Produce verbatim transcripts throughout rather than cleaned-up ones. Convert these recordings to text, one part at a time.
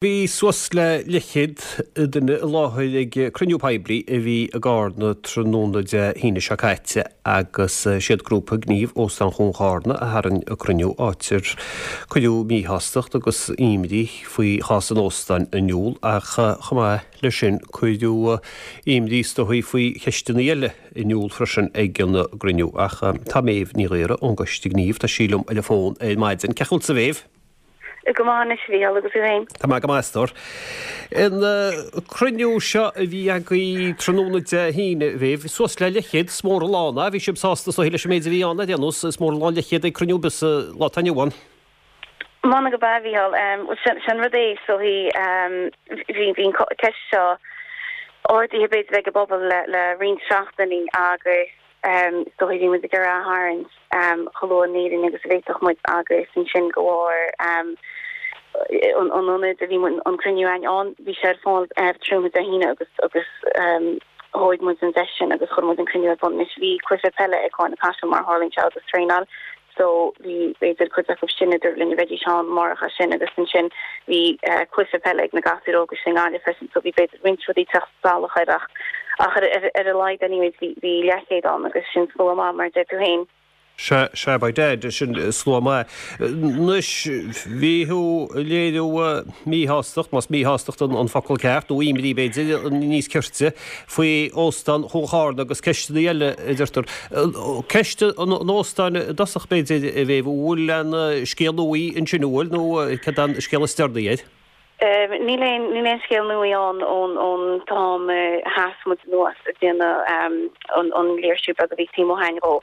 Bhí suas le leathchéad duine i láthair ag cruinniú poiblí a bhí i gCarna tráthnóna Dé hAoine seo caite agus siad grúpa gnímh Óstán Chuan Charna a tharraing an cruinniú áit ar cuireadh míshástacht agus imní faoi chás an óstáin in iúl ach chomh maith leis sin cuireadh imní is dóigh faoi cheisteanna eile in iúl freisin ag an gcruinniú ach tá Méabh Ní Ghaora ón gCoiste Gnímh tá sí liom ar an bhfón ar maidin. Cén chaoi a bhfuil tú a Mhéabh? Go maith anois a Mhícheáil agus tú féin. Tá mé go maith a stór. An cruinniú seo a bhí agaibh tráthnóna Dé hAoine a Mhéabh, suas le leathchéad, is mór an lán é, bhí sibh sásta is dóigh leis an méid a bhí ann ar aon nós, is mór an lán leathchéad ag cruinniú ar bith sa lá atá inniu ann. M'anam gurb ea a Mhícheáil. Sin rud é is dóigh bhí bhí an ceist seo ardaithe b'fhéidir ag an bpobal le le roinnt seachtainí agus is dóigh bhí muid ag iarraidh a tharraingt chomh luath in Éirinn agus a bhféadfadh muid agus ansin de bharr an ionad a bhí an cruinniú againn ann, bhí sé ar fáil tráthnóna Dé hAoine agus agus thóg muid an deis sin agus chuir muid an cruinniú ar bun. Anois bhí cluiche peile ag Carna Caiseal mar a tharlaíonn sé agus traenáil so bhí b'fhéidir cuid acu sin a dúirt linn a bheidís ann amárach as sin agus ansin bhí cluiche peile ag na gasúir óga sin i nGaillimh freisin so bhí b'fhéidir roinnt rudaí ag teacht salach air ach ach ar ar a laghad anyways bhí bhí leathchéad ann agus sin slua maith mar a deir tú féin. Sea, sea, by dad, sin slua maith. Anois, bhí tú ag léiriú míshástacht, más míshástacht an focal ceart, nó imní b'fhéidir níos cirte, faoi Óstán Chuan Charna agus ceisteanna eile, a deirtear. Ceist an óstáin i dtosach b'fhéidir, a Mhéabh, an bhfuil aon scéal nua ansin, an bhfuil, nó cad é an scéal is deireanaí air? Níl aon níl aon scéal nua ann ón ón t-am a sheas muid anuas ag déanamh an an léirsiú beag a bhí taobh amuigh againn dhó.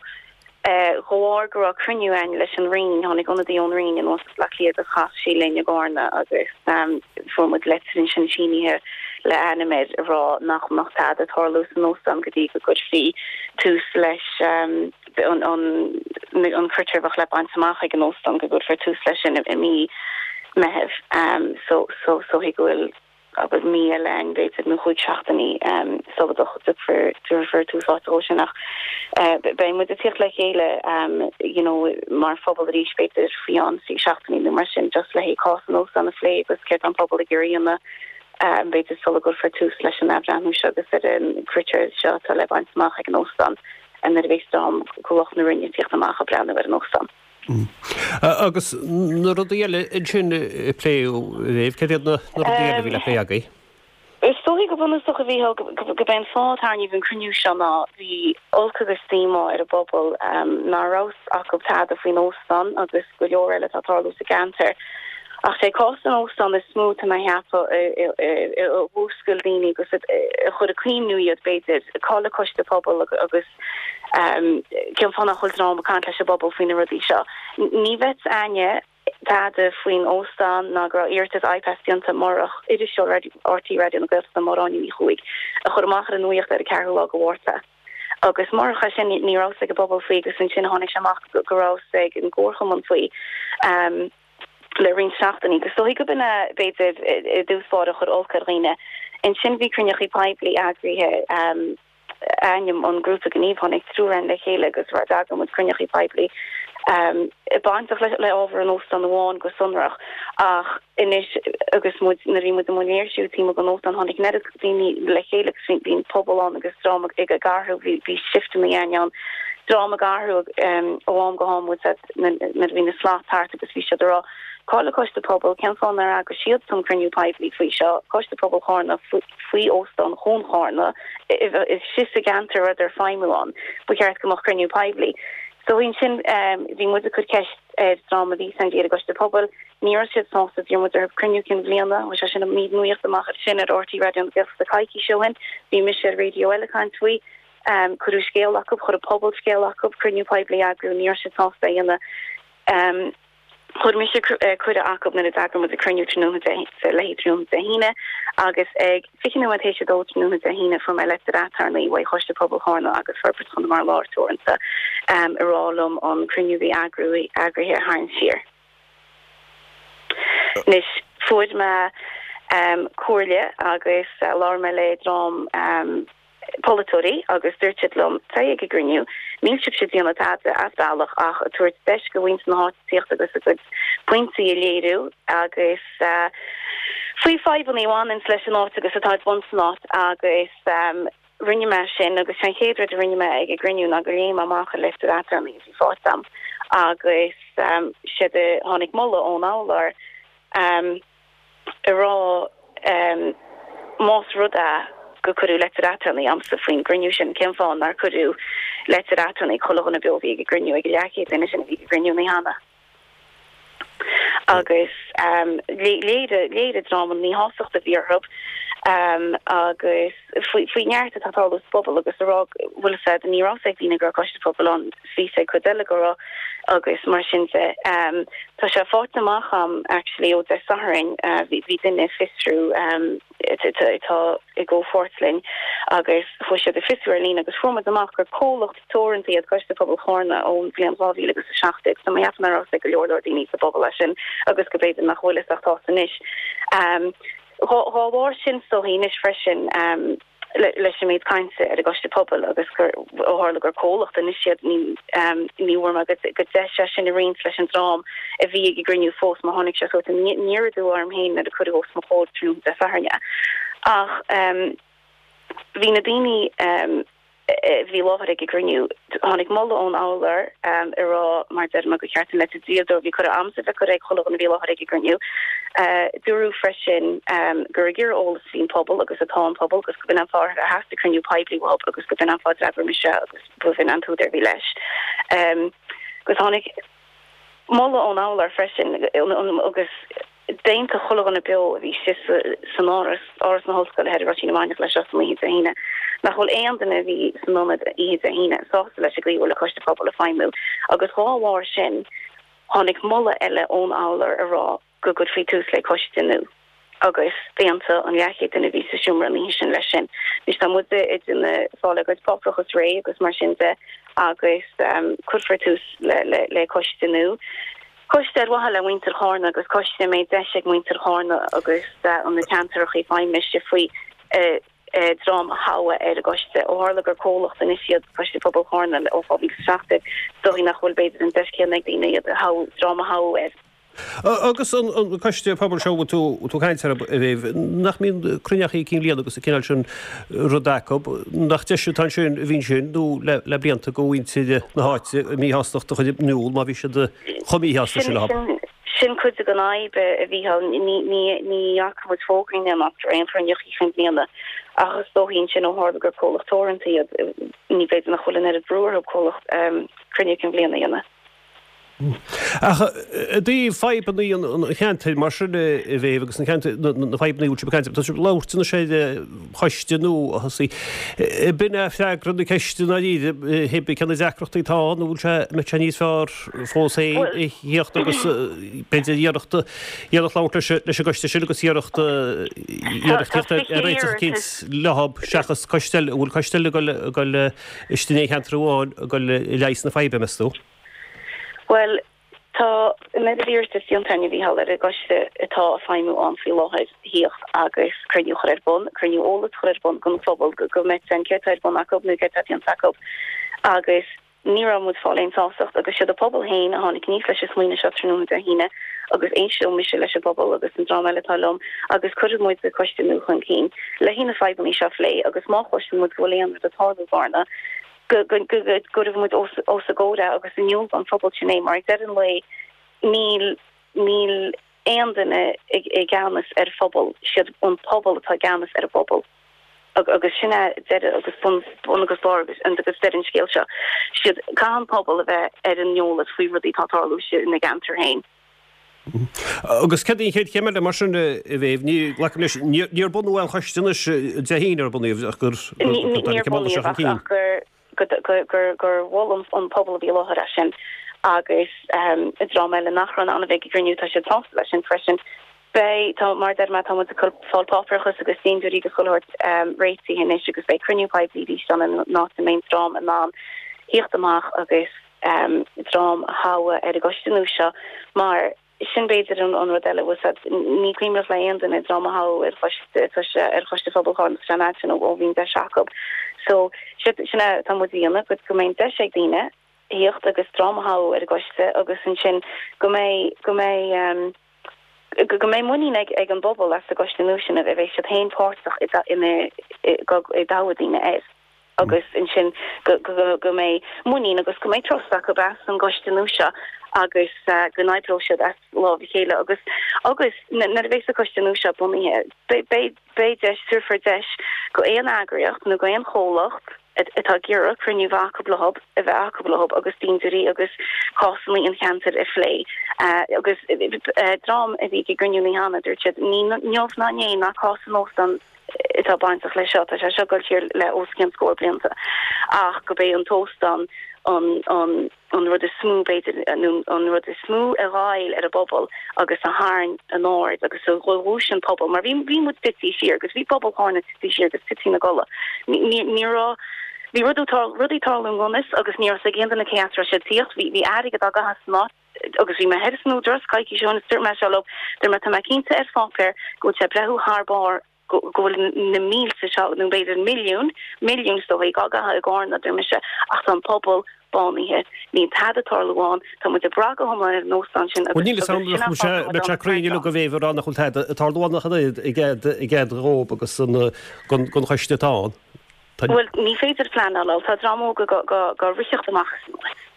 De bharr go raibh cruinniú againn leis an Roinn, tháinig ionadaí ón Roinn anuas as Bleá Cliath agus chas sí linn i gCarna agus fuair muid leitir ansin sínithe le ainm air ag rá nach mbeadh tada ag tarlú san óstán go dtí go gcuirfí tús leis an an critéar a bheadh le baint amach ag an óstán, go gcuirfear tús leis sin i mí Meitheamh. So so so go bhfuil abair mí eile ann b'fhéidir nó chúig seachtainí sula dtabharfar tús áite dhó sin ach beidh muid ag tíocht le chéile you know mar phobal arís b'fhéidir faoi cheann trí seachtainí nó mar sin just le haghaidh cás an óstáin a phlé agus céard tá an pobal ag iarraidh a dhéanamh b'fhéidir sula gcuirfear tús leis an athbhreithniú seo agus ar an critéar seo atá le baint amach ag an óstán nuair a bheas dream de lucht na Roinne ag tíocht amach ag breathnú ar an óstán. Agus na rudaí eile ansin a pléadh, a Mhéabh, céard iad na rudaí eile a bhí le plé agaibh? Is dóigh go bunúsach a Mhícheáil gurb é an fáth a tarraingíodh an cruinniú seo ná bhí olc agus díomá ar an bpobal nach raibh fhios acu tada faoin óstán agus go leor eile atá ag tarlú sa gceantar. Ach sé cás an óstáin is mó tá mé a cheapadh a mhúscail daoine agus a chuir ag cuimhniú iad b'fhéidir, cá bhfuil an coiste pobail agus cén fáth nach bhfuil dream ag caint leis an bpobal faoi na rudaí seo. Ní bheadh fhios againne tada faoin óstán ná go raibh iarratas IPAS déanta murach iriseoir RTÉ Raidió na Gaeltachta Máire Áine Ní Chuaig a chuir amach ar an nuacht ar an ceathrú lá de Mhárta. Agus murach é sin ní raibh fhios ag an bpobal faoi agus ansin tháinig sé amach go raibh fhios ag an gcomharchumann faoi le roinnt seachtainí. Agus is dóigh gurb in é b'fhéidir i dtús báire a chuir olc ar dhaoine. Ansin bhí cruinneachaí poiblí eagraithe. ainm an grúpa gnímh, tháinig triúr againn le chéile agus d'eagraigh muid cruinneachaí poiblí bainteach le ábhar an óstáin amháin go sonrach ach anois agus muid nuair a bhí muid i mbun léirsiú taobh amuigh den óstán tháinig an oiread daoine le chéile agus bhí an pobal ann agus dream ag athrú bhí bhí shifteanna ann dream ag athrú ó am go ham nuair a bhí na slots thart agus bhí siad ag rá Cá bhfuil an Coiste Pobail, cén fáth nár eagraigh siadsan cruinniú poiblí faoi seo, Coiste Pobail Charna faoi Óstán Chuan Charna, istigh sa gceantar a rabhadar ag feidhmiú ann, ba cheart go mbeadh cruinniú poiblí. So ansin bhí muid ag cur ceist ar dream a bhí san ar an gCoiste Pobail, ní raibh siad sásta, d'iarr muid orthu cruinniú cinn bhliana, bhí sé sin an mír nuachta amach ar sin ar RTÉ Raidió na Gaeltachta coicís ó shin, bhí mise ar raidió eile ag caint faoi, cuireadh scéal acu, chuir an pobal scéal acu, cruinniú poiblí a eagrú, ní raibh siad sásta é a dhéanamh. Chuir mise cuireadh acu nuair a d'eagraigh muid an cruinniú tráthnóna Dé le haghaidh tráthnóna Dé hAoine agus ag fiche nóiméad théis a dó tráthnóna Dé hAoine fuair mé leitir aturnae uaidh Choiste Pobail Charna agus Forbairt Chonamara Láir Teoranta ag rá liom an cruinniú a bhí eagraithe a tharraingt siar. Anois fuair mé comhairle agus labhair mé le dream polaiteoirí agus dúirt siad liom, téigh ag an gcruinniú, níl sibhse ag déanamh tada as bealach ach ag tabhairt deis do mhuintir na háite tíocht agus a gcuid pointí a léiriú agus faoi fadhbanna a bhaineanns leis an áit agus atá ag baint san áit agus rinne mé sin agus an chéad rud a rinne mé ag an gcruinniú ná gur léigh mé amach an litir aturnae a bhí faighte agam agus séard a tháinig moladh ón urlabhraí ag rá más rud é gur cuireadh leitir aturnae agamsa faoin gcruinniú sin cén fáth nár cuireadh leitir aturnae chuile dhuine beo a bhí ag an gcruinniú ag an leathchéad duine sin a bhí ag an gcruinniú an oíche cheana. Agus léirigh léirigh an dream an mhíshástacht a bhí orthu agus faoi neart atá ag tarlú sa phobal agus a rá bhfuil a fhios agat ní raibh a fhios ag daoine go raibh coiste pobail ann bhí a fhios ag cuid eile go raibh agus mar sin de. Tá sé faighte amach agam actually ó Dé Sathairn bhí duine ag fiosrú atá i gcomhpháirt linn agus chuaigh siad ag fiosrú ar líne agus fuair muid amach gur comhlacht teoranta iad Coiste Pobail Chárna ón bhliain dhá mhíle agus a seacht déag so mé cheapaim nach raibh a fhios ag go leor leor daoine sa bpobal é sin agus go b'fhéidir nach bhfuil a fhios ach tá anois. Dhá bharr sin is dóichí anois freisin leis an méid cainte ar an gcoiste pobail agus gur ó tharla gur comhlacht anois iad ní ní bhfuair mé go deis é sin a roinnt leis an dream a bhí ag an gcruinniú fós mar tháinig sé sórt aniar aduaidh orm féin nuair a cuireadh os mo chomhair tráthnóna Dé Sathairn é. Ach bhí na daoine a bhí i láthair ag an gcruinniú. Tháinig moladh ón urlabhraí ag rá, mar a deir mé, gur cheart an leitir dlíodóra a bhí curtha agamsa a bheith curtha ag chuile dhuine a bhí i láthair ag an gcruinniú. Dúradh freisin gur ag iarraidh eolas a bhí an pobal agus atá an pobal agus go b'in an fáth ar theastaigh cruinniú poiblí uathu agus go b'in an fáth a d'fhreagair mise agus b'in an t-údar a bhí leis. Agus tháinig moladh ón urlabhraí freisin agus d'aontaigh chuile dhuine beo a bhí istigh san áras, Áras na hOllscoile thoir i Ruisín na Mainiach leis seo san oíche Dé hAoine, nach bhfuil aon duine a bhí san ionad oíche Dé hAoine sásta leis an gcaoi a bhfuil an Coiste Pobail ag feidhmiú agus dhá bharr sin tháinig moladh eile ón urlabhraí a rá go gcuirfí tús le coiste nua agus d'aontaigh an leathchéad duine a bhí sa seomra an oíche sin leis sin. Anois tá muid ag déanamh fáil ár gcuid páipéarachas réidh agus mar sin de agus cuirfear tús le le coiste nua. Coiste ar mhaithe le muintir Chárna agus coiste a mbeidh deis ag muintir Chárna agus na ceantracha feidhme faoi dream a thoghadh ar an gcoiste. Ó tharla gur comhlacht anois iad Coiste Pobail Chárna ó dhá mhíle is a seacht déag, is dóigh nach bhfuil b'fhéidir an deis chéanna ag daoine iad a thoghadh, dream a thoghadh air. Agus an coiste pobail seo a bhfuil tú ag caint air, a Mhéabh, nach mbíonn cruinneachaí cinn bhliana agus an cineál sin rud acu, nach deis atá ansin a bhí ansin nó le blianta do mhuintir na háite a míshástacht a chur in iúl má bhí siad chomh míshásta sin leo? Sin cuid den fhadhb a Mhícheáil, ní fhaca muid fógraí amach ar aon chruinneachaí chinn bhliana ach is dóichí ansin ó tharla gur comhlacht teoranta iad, ní b'fhéidir nach bhfuil an oiread brú orthu comhlacht cruinniú cinn bhliana a dhéanamh. Ach i dtaobh fadhbanna an cheantair mar sin a Mhéabh agus na ceantair, na fadhbanna a bhfuil sibh ag caint, tá sibh ag labhairt anois ar choiste nua a thosaigh. B'in é freagra na ceiste i ndáiríre, hé cé na deacrachtaí atá ann, an bhfuil sé, an mbeadh sé níos fearr fós féin a thíocht agus b'fhéidir iarracht, iarracht labhairt leis, leis an gcoiste sin agus iarracht, iarracht tíocht ar réiteach eicínt leo seachas coiste eile, an bhfuil coiste eile ag dul, ag dul istigh in aon cheantar amháin ag dul a leigheas na faidhbe, meas tú? Bhuel, tá an oiread iarratas déanta againn, a Mhícheáil, ar an gcoiste atá ag feidhmiú ann faoi láthair thíocht agus cruinniú a chur ar bun, cruinniú eolais a chur ar bun don phobal go mbeidh a fhios againn céard atá ar bun acu nó céard atá déanta acu agus ní raibh muid ag fáil aon sástacht agus siad an pobal féin a tháinig aníos leis an smaoineamh seo tráthnóna Dé hAoine agus éisteoidh mise leis an bpobal agus an dream eile atá liom agus cuirfidh muid an coiste nua chun cinn le haghaidh na fadhbanna seo a phlé agus má chloiseann muid go bhfuil aon rud ag tarlú i gCárna go gcuirfidh muid os a gcomhair é agus in iúl don phobal sin é mar ag deireadh an lae níl níl aon duine i gceannas ar phobal, siad an pobal atá i gceannas ar an bpobal agus sin é deireadh agus bun bun agus barr agus agus deireadh an scéil seo. Siad caithfidh an pobal a bheith ar an eolas faoi rudaí atá ag tarlú ina gceantar féin. Agus céard í an chéad chéim eile mar sin, a Mhéabh? Ní, glacaim leis, níor bunaíodh aon choiste anois Dé hAoine ar bunaíodh ach gur Níor bunaíodh ach gur gur gur mhol an pobal a bhí i láthair é sin agus an dream eile nach raibh in ann a bheith ag an gcruinniú tá siad sásta leis sin freisin. Beidh, tá, mar a deir mé, tá muid ag fáil páipéarachas agus díoltóirí agus chuile shórt réitithe anois agus beidh cruinniú poiblí arís ann in áit a mbeidh an dream in ann thíocht amach agus dream a thoghadh ar an gcoiste nua seo mar sin b'fhéidir an rud eile bhfuil a fhios agat ní cuimhneach le aon duine dream a thoghadh ar choiste ar choiste Phobail Chárna san áit sin ó bhí an deis acu. So sin é atá muid a dhéanamh go mbeidh an deis ag daoine thíocht agus dream a thoghadh ar an gcoiste agus ansin go mbeidh go mbeidh go mbeidh muinín ag ag an bpobal as an gcoiste nua sin a bheidh siad féin páirteach ina i dtoghadh daoine air agus ansin go go go mbeidh muinín agus go mbeidh trust acu as an gcoiste nua seo agus uh, go n-oibreoidh siad as lámh a chéile agus agus nuair a bheidh an coiste nua seo bunaithe beidh beidh deis tabharfar deis go aon eagraíocht nó go aon chomhlacht atá ag iarraidh cruinniú bheith acu leo a bheith acu leo agus daoine agus cásanna an cheantair a phlé uh, agus uh, dream a bhí ag an gcruinniú cheana dúirt siad ní inniu ná inné ná cás an óstáin atá bainteach leis seo tá sé seo ag dul siar le os cionn scór blianta ach go bé an t-óstán an an an rud is mó b'fhéidir an rud is mó a ghoill ar an bpobal agus a tharraing an aird agus a dhúisigh an pobal mar bhí bhí muid tite siar agus bhí pobal Chárna tite siar agus tite ina gcodladh ní raibh Bhí rudaí ag tarlú i ngan fhios agus ní raibh a fhios ag aon duine cé as a raibh siad ag tíocht bhí bhí airgead á gcaitheamh san áit agus bhí mé thoir san Údarás coicís ó shin is dúirt mé seo leo dúirt mé tá mé cinnte ar pháipéar go bhfuil sé ag breathnú thar barr go bhfuil na mílte seo nó b'fhéidir milliún milliún is dóigh á gcaitheamh i gCárna dúirt mise ach tá an pobal bánaithe níl tada ag tarlú ann tá muid ag brath go hiomlán ar an óstán sin agus níl san sé cruinne go bhféidir rá nach bhfuil tada ag tarlú ann ach i gcead dhób agus an gon choiste atá ann. Bhuel ní féidir pleanáil tá dream óg go go go ritheacht amach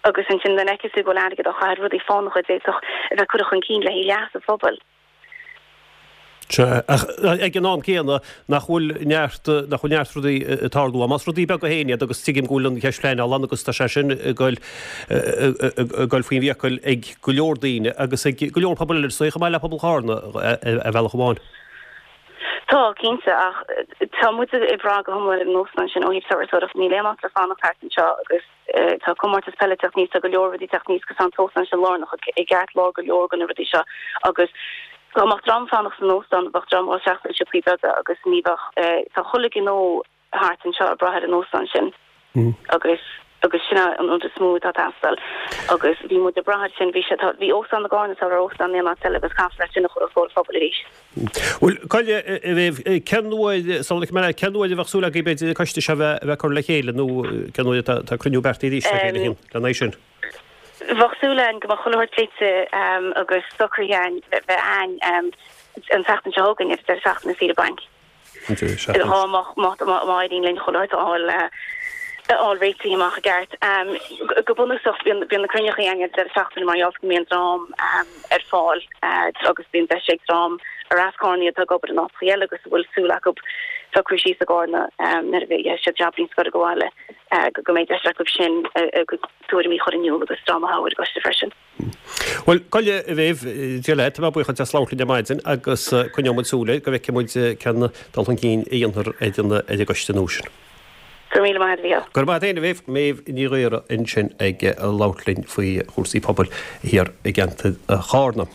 agus ansin den fheiceann tú go bhfuil airgead á chaitheamh ar rudaí fánacha a d'fhéadfadh a bheith curtha chun cinn le haghaidh leas an phobail. Sea, ach ag an am céanna nach bhfuil neart nach bhfuil neart rudaí ag tarlú, más rudaí beaga féin iad agus tuigim go bhfuil an cheist pleanála ann agus tá sé sin ag goil ag goil faoin bhfiacail ag go leor daoine agus ag go leor pobal eile chomh maith le pobal Chárna ar bhealach amháin. Tá, cinnte, ach tá muid ag brath go hiomlán ar an óstán sin ó thaobh turasóireacht, níl aon áit le fanacht thart anseo agus tá comórtas peile ag teacht aníos, tá go leor rudaí ag teacht aníos agus tá an t-óstán sin lárnach i gceartlár go leor de na rudaí seo agus dá mbeadh dream fanacht san óstán, bheadh dream á seachtain siopaí beaga agus ní bheadh, tá chuile ghnó thart anseo ag brath ar an óstán sin agus agus sin an rud is mó atá ag teastáil agus bhí muid ag brath air sin, bhí sé, tá, bhí óstán i gCarna sar óstán in aon áit eile agus caithfear é sin a chur os comhair an phobail arís. Bhuel, Coille, a Mhéabh, cén uair, sula mbeidh, cén uair a bheadh súil agaibh b'fhéidir an coiste seo a bheith, a bheith curtha le chéile nó cén uair atá, tá cruinniú beartaithe arís le chéile lena aghaidh sin? Bheadh súil againn go mbeadh chuile shórt pléite agus socraithe againn bheith againn an tseachtain seo chugainn ar an deireadh seachtaine saoire bainc. Dhá mbeadh má éiríonn linn chuile shórt a fháil a fháil réitithe amach i gceart. Go bunúsach bíonn bíonn na cruinneachaí againn ar an deireadh seachtaine mar gheall go mbíonn dream ar fáil agus bíonn deis ag dream ar as Carna atá ag obair in áiteachaí eile agus a bhfuil súil acu socrú síos i gCarna nuair a bheidh siad jab-níos scoir go bhaile go mbeidh deis acu sin a gcuid tuairimí a chur in iúl agus dream a thoghadh ar an gcoiste freisin. Bhuel, Coille, a Mhéabh, Dia leat, tá mé buíoch duit as labhairt linn ar maidin agus coinneoidh muid súil air go bhfeicfidh muid cén dul chun cinn a dhéanfar ar an ar an gcoiste nua sin. Go raibh míle maith agat, a Mhícheáil. Go raibh maith agat féin, a Mhéabh. Méabh Ní Ghaora ansin ag labhairt linn faoi chúrsaí pobail thiar i gceantar Chárna.